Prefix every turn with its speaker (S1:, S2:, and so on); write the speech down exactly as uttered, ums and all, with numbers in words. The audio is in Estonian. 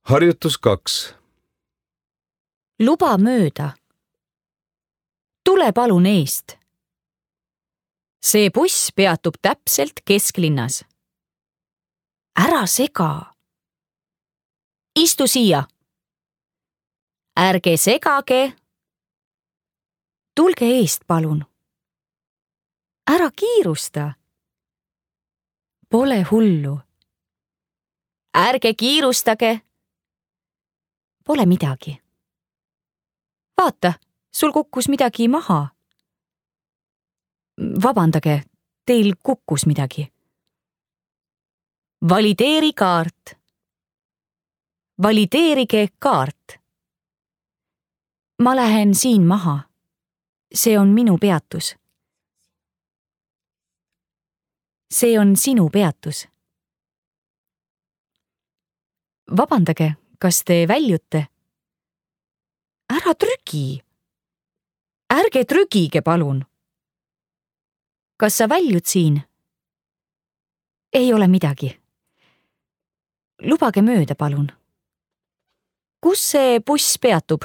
S1: Harjutus kaks.
S2: Luba mööda. Tule palun eest. See buss peatub täpselt kesklinnas. Ära sega. Istu siia. Ärge segage. Tulge eest palun. Ära kiirusta. Pole hullu. Ärge kiirustage. Pole midagi. Vaata, sul kukkus midagi maha. Vabandage, teil kukkus midagi. Valideeri kaart. Valideerige kaart. Ma lähen siin maha. See on minu peatus. See on sinu peatus. Vabandage, kas te väljute? Ära trügi. Ärge trügige, palun. Kas sa väljud siin? Ei ole midagi. Lubage mööda, palun. Kus see buss peatub?